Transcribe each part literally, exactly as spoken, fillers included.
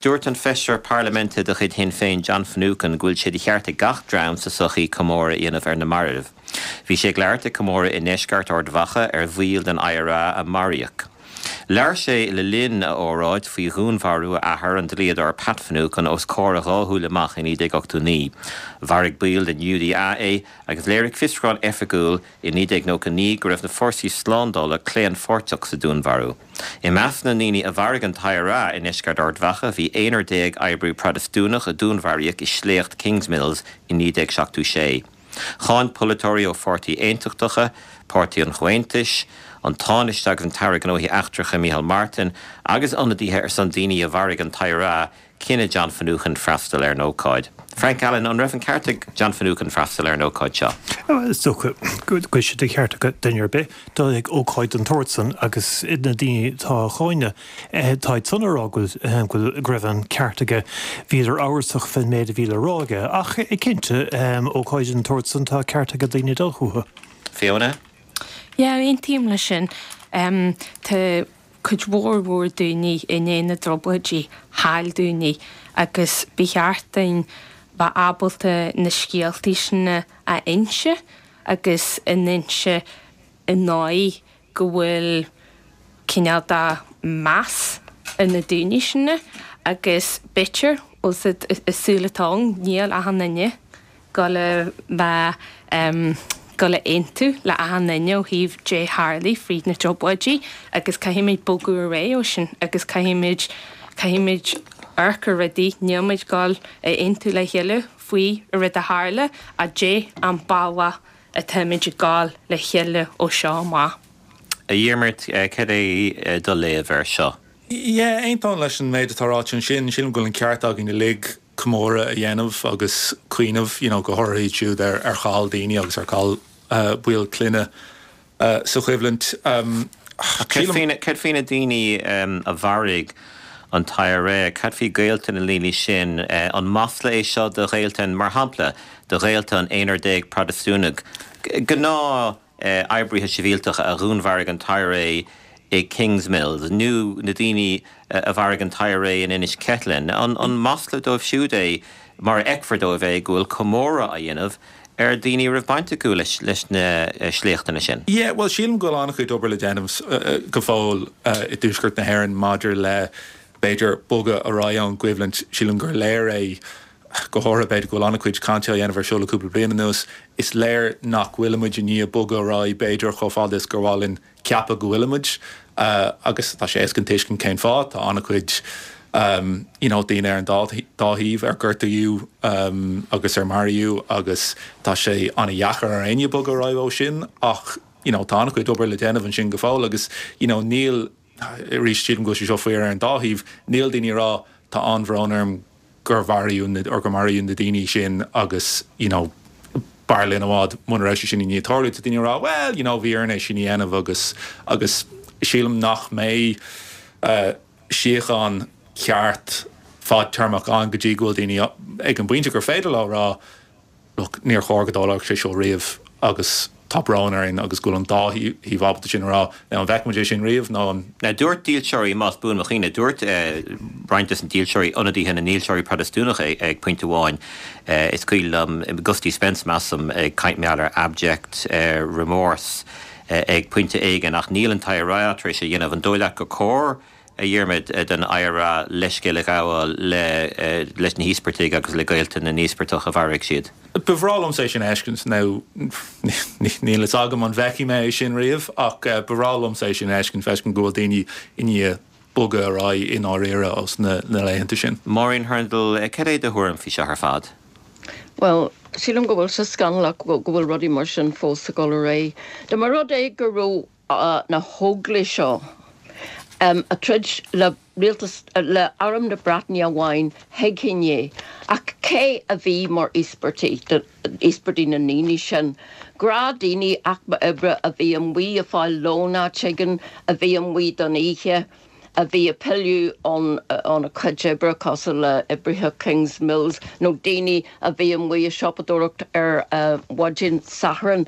Dúirt an feisire parlaiminte de chuid Shinn Féin John Finucane go bhfuil sé de cheart ag gach dream sa sochaí comóradh a dhéanamh ar na mairbh. Bhí sé ag labhairt ag comóradh i ndeisceart Ard Mhacha ar bhaill den IRA a maraíodh. Labhair sé le linn a óráid faoi dhúnmharú a athar an dlíodóir Pat Finucane os comhair a dhá shúil amach in naoi déag ochtó naoi. Mharaigh baill den UDA é agus léirigh fiosrúchán oifigiúil i naoi déag nócha naoi go raibh na fórsaí slándála claonpháirteach sa dúnmharú. I measc na ndaoine a mharaigh an t-IRA i ndeisceart Ard Mhacha bhí aonrar déag oibrí Protastúnach a dúnmharaíodh i sléacht Kingsmills i naoi déag seachtó sé. Cháin polaiteoirí ó pháirtí aontachtacha, Páirtí an Chomhaontais, an Tánaiste agus an tAire Gnóthaí Eachtracha Micheál Martin agus ionadaithe ar son daoine a mharaigh an t-IRA cinneadh John Finucane freastal ar an ócáid. Frank Allen, an raibh an ceart ag John Finucane freastal ar an ócáid seo? Is dócha go bhfuil sé de cheart ag duine ar bith dul ag ócáid den tsórt san agus na daoine atá á cháineadh tá siad san ag rá go go raibh an ceart aige bhíodar amhrasach fén méid a bhí le rá aige ach cinnte ócáid den tsórt san tá ceart ag daoine dul chucu. Fiona? Yeah, aontaím leis sin. Um, tá cuid mhór mhór daoine i ndiaidh na dtrioblóidí, chaill daoine agus ba cheart dúinn bheith ábalta na scéaltaí sin a inse agus a n-inse i ndóigh go bhfuil cineál de meas ar na daoine sin agus b'fhéidir is saol atá ann níl achan duine go le bheith um, go le aontú le achan duine ó thaobh cad a tharla fríd na trioblóidí agus caithfimid bogadh ar aghaidh ó sin agus caithfimid caithfimid amharc ar rudaí nílimid ag aontú le chéile faoi a rud a tharla a dé an bealach atáimid ag gabháil le chéile ó seo amach. A Dhiarmuid cad é do léamh air seo. Yeah, aontaím leis an méid atá ráite ansin, sílim go bhfuil an ceart againn uilig comóradh a dhéanamh agus cuimhneamh you know, go háirithe siúd ar ar chaill daoine agus ar chaill uh, baill clainne uh, sa choimhlint. Um, Cad faoi na daoine um, a mharaigh an t-IRA, cad faoi ghaolta na ndaoine sin uh, an masla é seo do ghaolta mar shampla do ghaolta an aonrar déag Protastúnach. Gnáth uh, oibrithe sibhialtacha a dhúnmharaigh an t-IRA i Kingsmills, nó na daoine a mharaigh an t-IRA in Inis Ceithleann. An, an masla dóibh siúd é mar fheicfear dóibh é go bhfuil comóradh á dhéanamh ar daoine raibh baint acu leis leis na sléachtanna sin. Yeah, well sílim go bhfuil an-chuid obair le déanamh uh, go fóill uh, i dtuaisceart na hÉireann maidir le b'fhéidir bogadh ar aghaidh ón gcoimhlint sílim gur léir é go háirithe b'fhéidir go bhfuil an-chuid cainte á dhéanamh ar seo le cúpla bliain anuas, is léir nach bhfuilimid i ndiaidh bogadh ar aghaidh b'fhéidir chomh fada is gur mhaith linn ceapadh go bhfuilimid uh, agus tá sé éasca tuiscint cén fáth tá an-chuid um, you know, daoine ar an dá thaobh ar gortaíodh um, agus ar maraíodh agus tá sé an-deacair ar éinne bogadh ar aghaidh ó sin ach you know, tá an-chuid obair le déanamh ansin go fóill agus you know, níl arís sílim go bhfuil sé seo fíor ar an dá thaobh níl daoine rá tá an-bhrón orm gur maraíodh or gur maraíodh na daoine sin agus you know, b'fhearr linn i bhfad muna raibh sé sin i ndiaidh tarlú tá daoine rá well you know, bhí orainn é sin a dhéanamh agus agus sílim nach mbeidh uh, síocháin ceart fadtéarmach ann go dtí go bhfuil daoine ag an bpointe gur féidir leo rá look, níor chóir go dtarlódh sé seo riamh agus tá brón orainn agus go bhfuil an dá thaobh ábalta sin rá an bhfeicfimid é sin riamh nó an Na dúirt dílseoirí más buan mo chuimhne dúirt eh, roinnt des na dílseoirí ionadaithe na ndílseoirí Protastúnach ag, ag pointe amháin eh, is cuimhin liom Gusty Spence measaim ag caint mar gheall ar abject eh, remorse eh, ag pointe éigin ach níl an t-IRA tar éis a dhéanamh an dóigh leat gur cóir a Dhiarmuid den IRA leithscéal a ghabháil le leis na híospartaigh agus le gaolta na n-íospartach a mharaigh siad. Ba bhreá liomsa é sin a fheiscint nó níl a fhios agam an bhfeicfidh mé é sin riamh ach ba bhreá liomsa é sin a fheiscint feiscint go bhfuil daoine i ndiaidh bogadh ar aghaidh i ndáiríre os na, na laethanta sin. Maureen Hurndall cad é do thuairim faoi seo ar fad. Well, sílim go bhfuil sé scannalach go bhfuil rudaí mar sin fós ag dul ar aghaidh. Dá mba rud é go raibh uh, na hóglaigh seo um, ag troid le rialtas le arm na Breataine amháin thuigfinn é ach cé a bhí mar íospartaigh íospartaigh na ndaoine sin. Gnáthdhaoine aicme oibre a bhí amuigh ag fáil lón áit éigin a bhí amuigh don oíche. a bhí ag pilleadh ón óna cuid oibre cosúil le oibrithe Kingsmills nó daoine a bhí amuigh ag siopadóireacht ar mhaidin Sathairn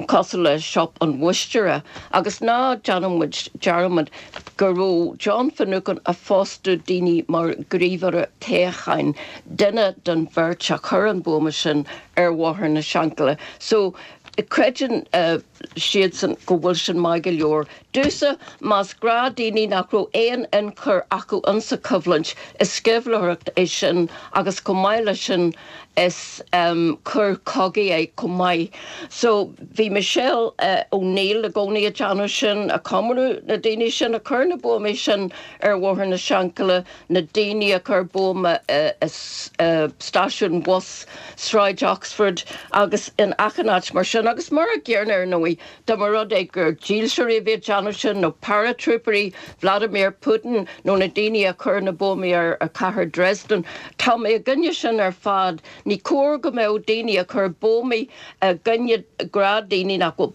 cosúil le Siopa an Mháistír agus ná déanann muid dearmad go raibh John Finucane ag fostú daoine mar ghníomhaire toghcháin duine den bheirt a chuir an buama sin ar Bhóthar na Seanchaille. So creideann uh, siadsan go bhfuil sin maith go leor. Domsa más gnáthdhaoine nach raibh aon ionchur acu insa choimhlint is sceimhlitheoireacht é sin agus chomh maith leis sin is um, coir cogaidh é chomh maith. So bhí Michelle uh, O'Neill i gcónaí ag déanamh sin ag comóradh na daoine sin a chuir na buamaí sin ar Bhóthar na Seanchaille na daoine a chuir buama uh, uh, stáisiún bus Sráid Oxford agus in achan áit mar sin agus mar an gcéanna ar ndóigh dá mba rud é gur dílseoirí a bhí ag déanamh sin nó paratrooperí Vladimir Putin nó na daoine a chuir na buamaí ar a cathair Dresden. Tá mé i gcoinne sin ar fad ní cóir go mbeadh daoine a chuir buamaí i gcoinne gnáthdhaoine nach bhfuil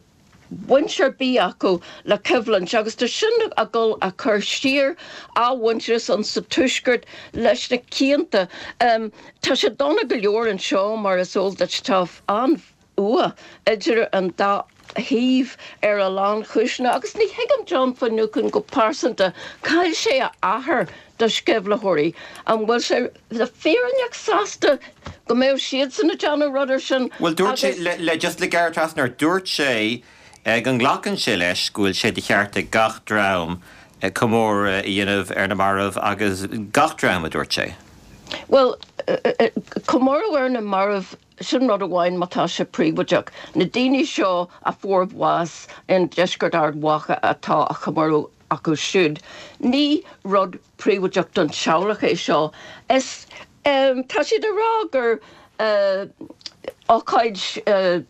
baint ar bith acu le coimhlint agus tá sin ag dul a chur siar athmhuintearas an sa tuaisceart leis na cianta. Um, tá sé dona go leor anseo mar is eol duit tá an-fhuath idir an dá thaobh ar a lán cúiseanna agus ní thuigim John Finucane go pearsanta chaill sé a athair do sceimhlitheoirí an bhfuil sé le fírinneach sásta go mbeadh siadsan ag déanamh rudaí sin. Well dúirt sé le, le just le gearr trasna dúirt sé eh, go nglacann sé leis go bhfuil sé de cheart ag gach dream eh, comóradh a dhéanamh ar na mairbh agus gach dream a dúirt sé. Well comóradh ar na mairbh sin rud amháin má tá sé príobháideach. Na daoine seo a fuair bás in deisceart Ard Mhacha atá a chomóradh acu siúd. Ní rud príobháideach don teaghlach é seo. Is um, tá siad ag rá gur uh, ócáid uh,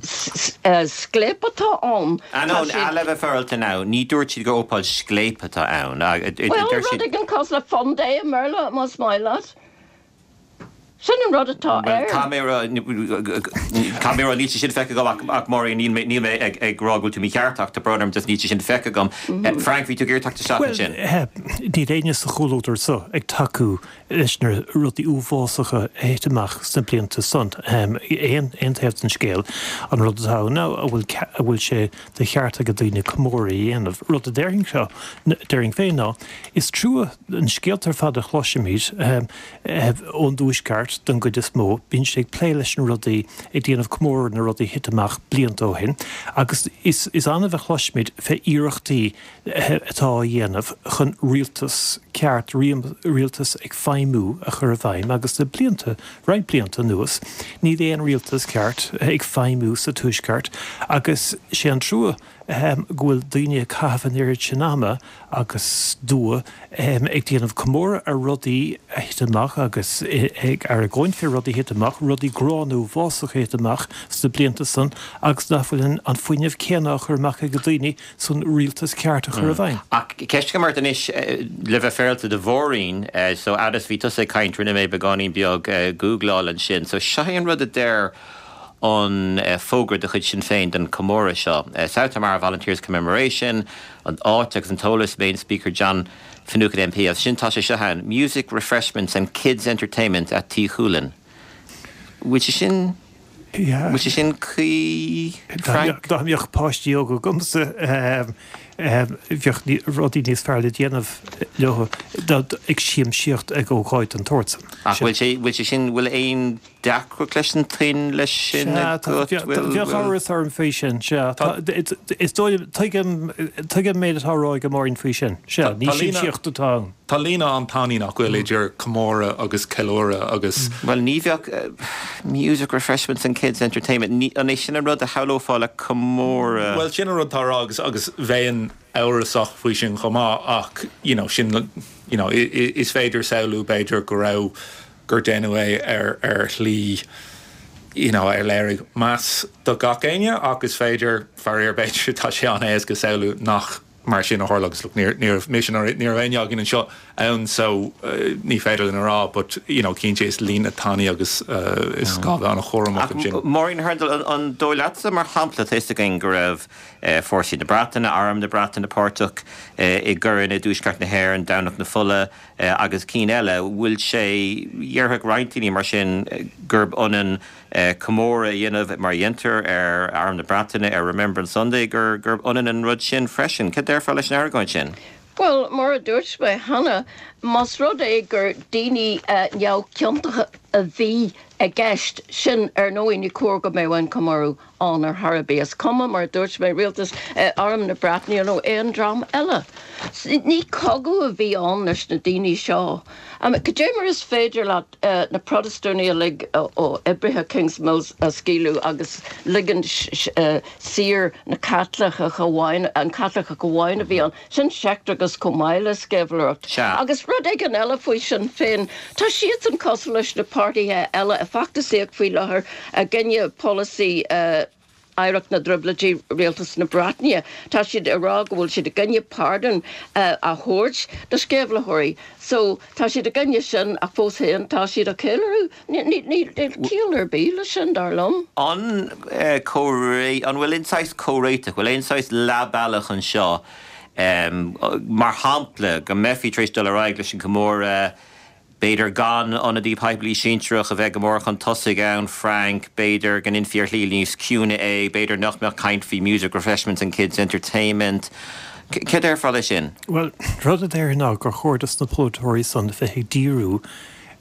scléip atá ann. An le bheith féaráilte ná, ní dúirt siad gur ócáid scléip atá ann. Well rud éigin cosúil le fun day i mBéarla más maith leat. Sin an rud atá air. Tá mé níl sin feicthe agam ach mar níl mé ag rá go bhfuil tú mícheart ach tá brón orm just níl sin feicthe agam. Frank bhí tú ag iarraidh teacht sin. Níl éinne sa chomhluadar seo ag tacú leis na rudaí uafásacha a thit amach sna blianta san. Aon aon taobh den scéal an rud atá ná a bhfuil sé de cheart ag daoine comóradh a dhéanamh. Rud a déarfainn seo déarfainn féin ná is trua an scéalta ar fad a chloisimid ón dtuaisceart den gcuid is mó, bíonn sé ag plé leis na rudaí ag déanamh comóradh na rudaí a thit amach blianta ó shin, agus is, is annamh a chloisimid fé iarrachtaí atá á dhéanamh chun rialtas ceart rialtas ag feidhmiú a chur i bhfeidhm agus le blianta roinnt blianta anuas, níl aon rialtas ceart ag feidhmiú sa tuaisceart agus sé an trua go bhfuil daoine ag caitheamh an oiread sin ama agus dua ag déanamh comóradh ar rudaí a thit amach agus ag argóint fé rudaí a thit amach, rudaí gránna uafásacha a thit amach sna blianta san agus nach bhfuil an fuinneamh céanna á chur amach ag daoine san rialtas ceart a chur i bhfeidhm. Ach ceist agam ort anois le bheith féaráilte do Mháirín, so fhad is bhí tusa ag caint rinne mé beagáinín beag googláil ansin, so seo é an rud a deir an fógra de chuid Sinn Féin don comóradh seo. South Armagh Volunteers Commemoration, an áit agus an t-eolas main speaker John Finucane MP as sin tá sé seo ann, Music, Refreshments and Kids Entertainment at Tí Chualann. Bhfuil sé sin Bhfuil sé sin cuí Frank? Dá mbeadh páistí óga agamsa bheadh rudaí níos fearr le déanamh leo ag siamsaíocht ag ócáid den tsórt san. Ach bhfuil sé bhfuil sé sin bhfuil aon deacracht leis an tuin leis sin Bheadh amhras orm faoi sin Is dóigh tuigim tuigim méid atá á rá ag Máirín faoi sin. Sea, ní siamsaíocht atá ann. Tá líne an-tanaí nach bhfuil idir comóradh agus ceiliúradh agus. Well ní bheadh music refreshments and kids entertainment ní an é sin an rud a shamhlófá le comóradh. Well sin an rud atá á rá agus agus bheinn amhrasach faoi sin chomh maith ach you know, sin you know, is féidir samhlú b'fhéidir go raibh gur déanadh é ar ar shlí you know, ar léirigh meas do gach éinne ach is féidir faraor b'fhéidir tá sé an-éasca samhlú nach mar sin a tharla agus look, ní ní mise ní raibh éinne againn anseo ann so uh, ní féidir linn a rá but you know cinnte is líne tanaí agus uh, is gá bheith an-chúramach ansin. Máirín Hurndall an, an dóigh leatsa mar shampla tá a fhios againn go raibh eh, fórsaí na Breataine, arm na Breataine páirteach eh, i gcoireanna i dtuaisceart na hÉireann, Domhnach na Fola eh, agus cinn eile, bhfuil sé dhéarfadh roinnt daoine mar sin eh, gurb ionann eh, comóradh a dhéanamh mar a dhéantar ar arm na Breataine ar Remembrance Sunday gur gurb ionann an rud sin freisin. Cad déarfá leis an argóint sin? Well, mar a dúirt mé cheana, más rud é gur daoine uh, neamhchiontacha a bhí i gceist sin ar ndóigh ní cóir go mbeadh an comóradh ann ar chor ar bith. Is cuma mar dúirt mé rialtas uh, arm na Breataine nó aon dream eile. Ní cogadh a bhí ann leis na daoine seo. Um, Cad é mar is féidir leat uh, na Protastúnaigh uilig ó oibrithe Kingsmills a scaoileadh agus ligean uh, saor na Caitlicigh amháin an Caitliceach amháin a bhí ann sin seicteachas chomh maith le sceimhlitheoireacht. Agus rud éigin eile faoi sin féin Tá siad an cosúil leis na páirtithe eile a feachtasaíocht faoi láthair i gcoinne polasaí uh, Oidhreacht na dTrioblóidí rialtas na Breataine. Tá siad ag rá go bhfuil siad i gcoinne pardún uh, a thabhairt do sceimhlitheoirí. So tá siad i gcoinne sin ach fós féin tá siad á cheiliúradh ciall ar bith le sin dar liom. An eh, an bhfuil aon saghas comhréiteach, bhfuil aon saghas leathbhealach anseo um, mar shampla go mbeifí tar éis dul ar aghaidh leis an comóradh B'fhéidir gan ionadaí poiblí sinsearach a bheith go mór chun tosaigh ann Frank, b'fhéidir go ndéanfaí ar shlí níos ciúine é, b'fhéidir nach mbeadh caint faoi music refreshments and kids entertainment. Cad déarfá leis sin? Well, rud a déarfainn ná gur chóir dos na polaiteoirí san bheith ag díriú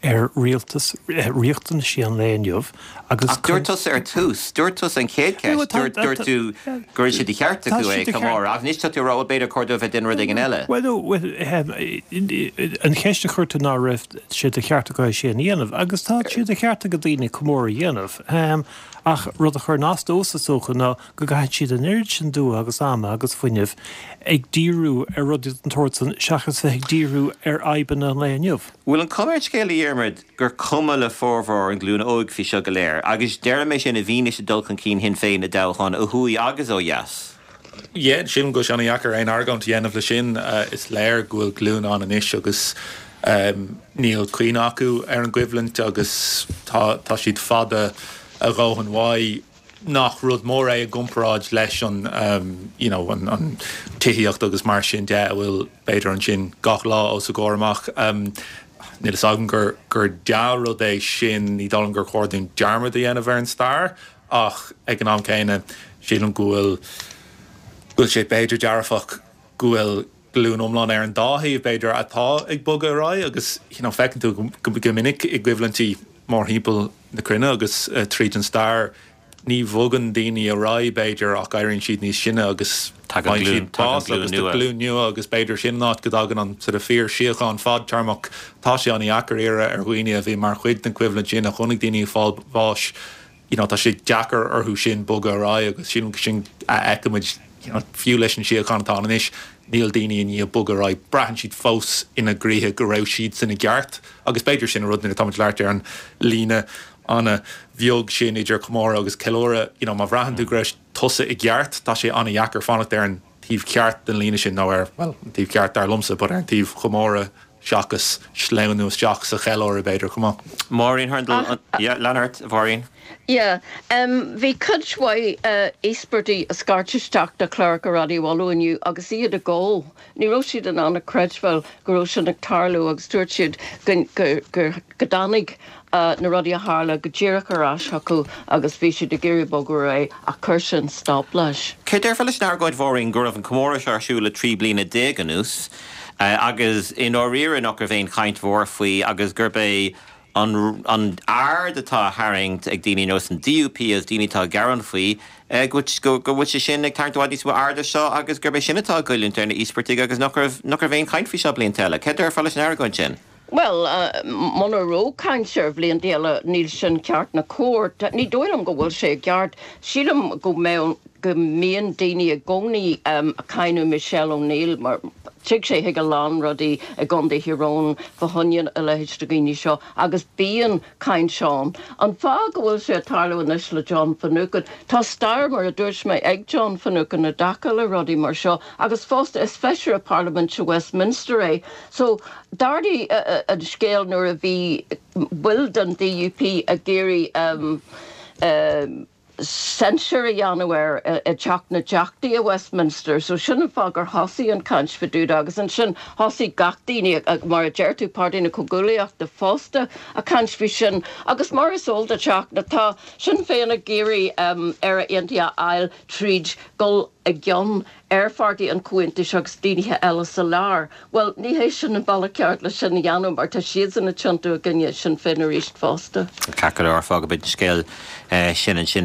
ar rialtas riachtanaisí an lae inniu agus dúirt tusa ar tús, dúirt tusa an chéad cheist, dúirt tú go raibh sé de cheart acu é comóradh, ach anois tá tú ag rá b'fhéidir chóir dóibh bheith ag déanamh rud éigin eile. Well an cheist a chuir tú ná raibh sé de cheart acu é sin a dhéanamh, agus tá sé de cheart ag daoine comóradh a dhéanamh. Ach rud a chuireann as domhsa is dócha ná go gcaitheann siad an oiread sin dua agus ama agus fuinnimh ag díriú ar rudaí den tsórt san seachas bheith ag díriú ar fhadhbanna an lae inniu. Bhfuil an chuma ar an scéal a Dhiarmuid gur cuma le formhór an ghlúin óig faoi seo go léir, agus deirim é sin i bhfianaise dul chun cinn Shinn Féin i dtoghcháin ó thuaidh agus ó dheas. Yeah, sílim go bhfuil sé an-deacair aon argóint a dhéanamh le sin uh, is léir go bhfuil glúin ann anois agus um, níl cuimhne acu ar an gcoimhlint agus tá, tá siad fada a dhóthain uaidh nach rud mór é i gcomparáid leis an um, you know, an, an tithíocht agus mar sin de a bhfuil b'fhéidir ansin gach lá os a gcomhair amach. Um, Níl a fhios agam gur gur dea-rud é sin ní dóigh liom gur chóir dúinn dearmad a dhéanamh ar an stair ach ag an am céanna sílim go bhfuil go bhfuil sé b'fhéidir dearfach go bhfuil glúin iomlán ar an dá thaobh b'fhéidir atá ag bogadh ar aghaidh agus you know, feiceann tú go, go minic i gcoimhlintí mórthimpeall na cruinne agus uh, tríd an stair ní bhogann daoine ar aghaidh b'fhéidir ach éiríonn siad níos sine agus Tagann glúin- tagann bás agus glúin nua. glúin nua agus b'fhéidir sin an áit go dtagann an sort of fíorsíocháin fadtéarmach tá sé an-deacair iarraidh ar dhaoine a bhí mar chuid den choimhlint sin a chonaic daoine ag fáil bháis you know, tá sé deacair orthu sin bogadh ar aghaidh agus sin sin a fheicimid you know, fiú leis an síocháin atá anois níl daoine i ndiaidh bogadh ar aghaidh braitheann siad fós ina gcroíthe go raibh siad san i gceart agus b'fhéidir sin an rud nuair atá muid ag labhairt ar an líne an-bheag sin idir comóradh agus ceiliúradh you know, má bhraitheann tú go raibh tusa i gceart tá sé an-deacair fanacht ar an taobh ceart den líne sin nó ar well an taobh ceart dar liomsa, but ar an taobh chomóradh seachas sleamhnú isteach sa cheiliúradh b'fhéidir chomh maith. Máirín Hurndall, lean ort, Mháirín. Yeah, um, bhí cuid mhaith uh, íospartaigh ag scairt isteach do chláracha Raidió Uladh inniu agus iad ag gol. Ní raibh siad in ann a chreidbheáil go raibh sin ag tarlú agus dúirt siad go, go, go, go dtáinig uh, na rudaí a tharla go díreach ar ais chucu agus bhí siad ag iarraidh bogadh ar aghaidh ach chuir sin stop leis. Cé déarfá leis an argóint Mháirín go raibh an comóradh seo ar siúl le trí bliana déag anuas, uh, agus i ndáiríre nach raibh aon chaint mhór faoi agus gurb é an, an aird atá á tharraingt ag daoine nó an DUP as daoine atá ag gearán faoi uh, go go go bhfuil sé sin ag tarraingt i bhfad níos mó airde seo agus gurb é sin atá ag goilliúint ar na híospartaigh agus nach raibh nach raibh aon chaint faoi seo blianta eile. Cé déarfá leis an argóint sin? Well, uh, muna raibh caint ar bhlianta eile níl sin ceart ná cóir. Ní dóigh liom go bhfuil sé ceart. Sílim go mbeadh go mbíonn daoine i gcónaí um, ag cáineadh Michelle O'Neill mar tig sé chuig a lán rudaí i gContae Thír Eoghain fá choinne a leithéid de dhaoine seo agus bíonn caint ann. An fáth go bhfuil sé ag tarlú anois le John Finucane, Tá stair mar a dúirt mé ag John Finucane i dtaca le rudaí mar seo agus fosta is feisire Parlaiminte Westminster é. So d'ardaigh uh, an scéal nuair a bhí baill den DUP ag iarraidh um, um, censure a dhéanamh air i dTeach na dTeachtaí i Westminster, so sin an fáth gur thosaigh an caint fá dtaobh de agus ansin thosaigh gach daoine mar a deir tú Páirtí na Comhghuaillíochta fosta ag caint faoi sin agus mar is eol duit tá Sinn Féin ag iarraidh um, Éire Aontaithe a fháil tríd dul i gcionn ar Pháirtí an Chomhaontais agus daoine eile sa lár. Well ní hé sin an bealach ceart le sin a dhéanamh mar tá siad ag tiontú i gcoinne Sinn Féin arís fosta. Ceart go leor fágfaidh muid an scéal sin ansin.